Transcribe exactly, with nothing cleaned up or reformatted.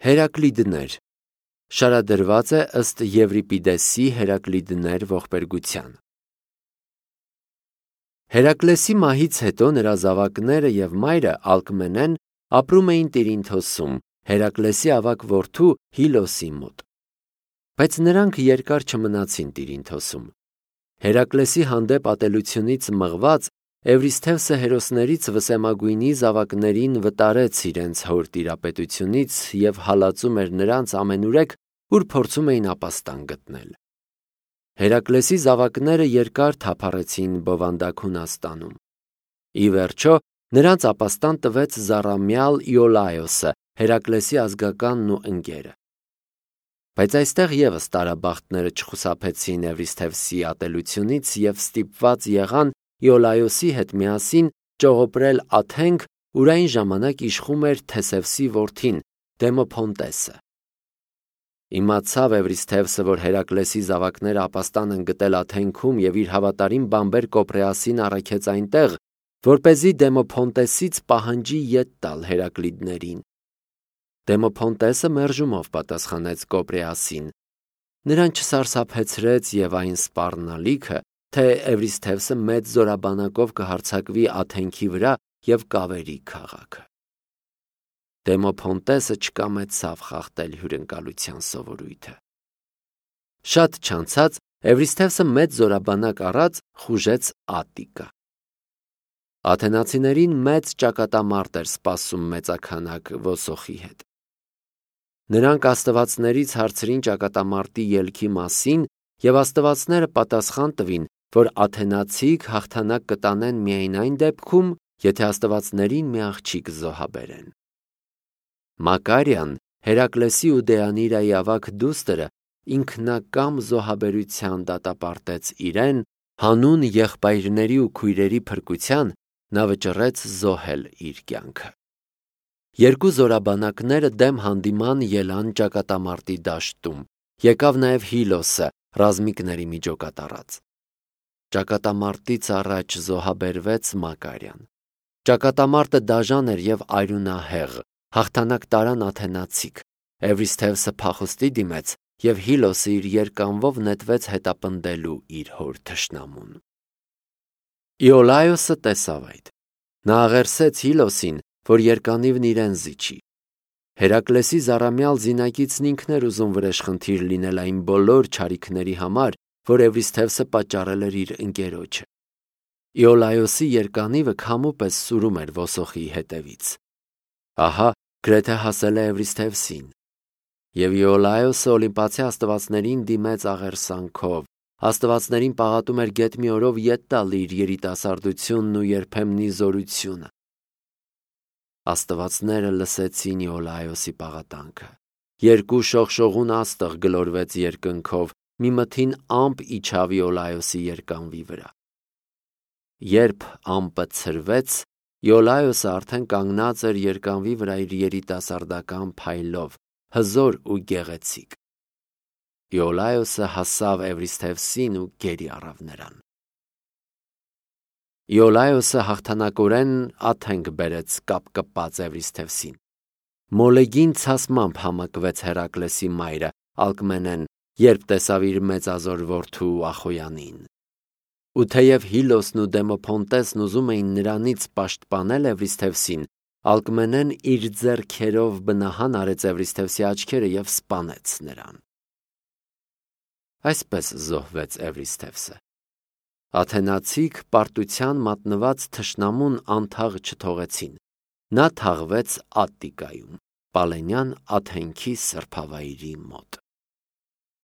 Հերակլիդներ շարադրված է ըստ Եվրիպիդեսի Հերակլիդներ ողբերգության։ Հերակլեսի մահից հետո նրա զավակները եւ մայրը Ալկմենեն ապրում էին Տիրինթոսում, Հերակլեսի ավագ որդու Հիլոսի մոտ։ Բայց նրանք երկար չմնացին Տիրինթոսում։ Հերակլեսի հանդեպ ատելությունից մղված Էվրիսթևսը հերոսներից վսեմագույնի զավակներին վտարեց իրենց հոր տիրապետությունից եւ հալածում էր նրանց ամենուրեք, ուր փորձում էին ապաստան գտնել։ Հերակլեսի զավակները երկար թափառեցին բովանդակ Հունաստանում։ Ի վերջո նրանց ապաստան տվեց զառամյալ Իոլայոսը, Հերակլեսի ազգականն ու ընկերը։ Բայց այստեղ եւս տարաբախտները չխուսափեցին Էվրիսթևսի ատելությունից եւ ստիպված եղան Իոլայոսի հետ միասին ճողոպրել Աթենք, ուր այն ժամանակ իշխում էր Թեսևսի որդին Դեմոփոնտեսը։ Իմացավ Էվրիսթևսը, որ Հերակլեսի զավակները ապաստան են գտել Աթենքում եւ իր հավատարիմ բամբեր Կոպրեասին առաքեց այնտեղ, որպեսզի Դեմոփոնտեսից պահանջի ետ տալ Հերակլիդներին։ Դեմոփոնտեսը մերժումով պատասխանեց Կոպրեասին։ Նրան չսարսափեցրեց եւ այն սպառնալիքը, թե Էվրիսթևսը մեծ զորաբանակով կհարձակվի Աթենքի վրա եւ կավերի քաղաքը։ Դեմոփոնտեսը չկամեցավ խախտել հյուրընկալության սովորույթը։ Շատ չանցած Էվրիսթևսը մեծ զորաբանակ առած խուժեց Ատիկա։ Աթենացիներին մեծ ճակատամարտ էր սպասում մեծաքանակ Վոսոխի հետ։ Նրանք աստվածներից հարցրին ճակատամարտի ելքի մասին եւ աստվածները պատասխան տվին, որ աթենացիք հաղթանակ կտանեն միայն այն դեպքում, եթե աստվածներին մի աղջիկ զոհաբերեն։ Մակարյան, Հերակլեսի ու Դեանիրայի ավագ դուստրը, ինքնակամ զոհաբերության դատապարտեց իրեն, հանուն եղբայրների ու քույրերի փրկության նա վճռեց զոհել իր կյանքը։ Երկու զորաբանակները դեմ հանդիման ելան ճակատամարտի դաշտում, եկավ նաև Հիլոսը ռազմիկների միջոկատ առած։ Ճակատամարտից առաջ զոհաբերվեց Մակարյան։ Ճակատամարտը դաժան էր եւ արյունահեղ, հաղթանակ տարան աթենացիք, Էվրիսթևսը փախուստի դիմեց եւ Հիլոսը իր երկանվով նետվեց հետապնդելու իր հոր թշնամուն։ Իոլայոսը տեսավ այդ։ Նա աղերսեց Հիլոսին, որ երկանիվն իրեն զիջի։ Հերակլեսի զառամյալ զինակիցն ինքն էր ուզում վրեժխնդիր լինել այն բոլոր չարիքների համար, որ Էվրիսթևսը պատճառել էր իր ընկերոջը։ Իոլայոսի երկանիվը քամու պես սուրում էր Վոսոխի հետևից։ Ահա գրեթե հասել է Էվրիսթևսին։ Եվ Իոլայոսը Օլիմպացի աստվածներին դիմեց աղերսանքով, աստվածներին պաղատում էր գետ մի օրով ետ տալ իր երիտասարդությունն ու երբեմնի զորությունը։ Աստվածները լսեցին Իոլայոսի պաղատանքը։ Երկու շողշողուն աստղ գլորվեց երկնքով, մի մթին ամպ իջավ Իոլայոսի երկանվի վրա։ Երբ ամպը ցրվեց, Իոլայոսը արդեն կանգնած էր երկանվի վրա իր երիտասարդական փայլով, հզոր ու գեղեցիկ։ Իոլայոսը հասավ Էվրիսթևսին ու գերի առավ նրան։ Իոլայոսը հաղթանակորեն Աթենք բերեց կապկպած Էվրիսթևսին։ Մոլեգին ցասմամբ համակվեց Հերակլեսի մայրը Ալկմենեն, երբ տեսավ իր մեծազոր որդու Ախոյանին։ Ու թեև Հիլոսն ու Դեմոփոնտեսն ուզում էին նրանից պաշտպանել Էվրիսթևսին, Ալկմենեն իր ձեռքերով բնահան արեց Էվրիսթևսի աչքերը եւ սպանեց նրան։ Այսպես զոհվեց Էվրիսթևսը։ Աթենացիք պարտության մատնված թշնամուն անթաղ չթողեցին։ Նա թաղվեց Ատտիկայում, Պալենյան Աթենքի սրբավայրի մոտ։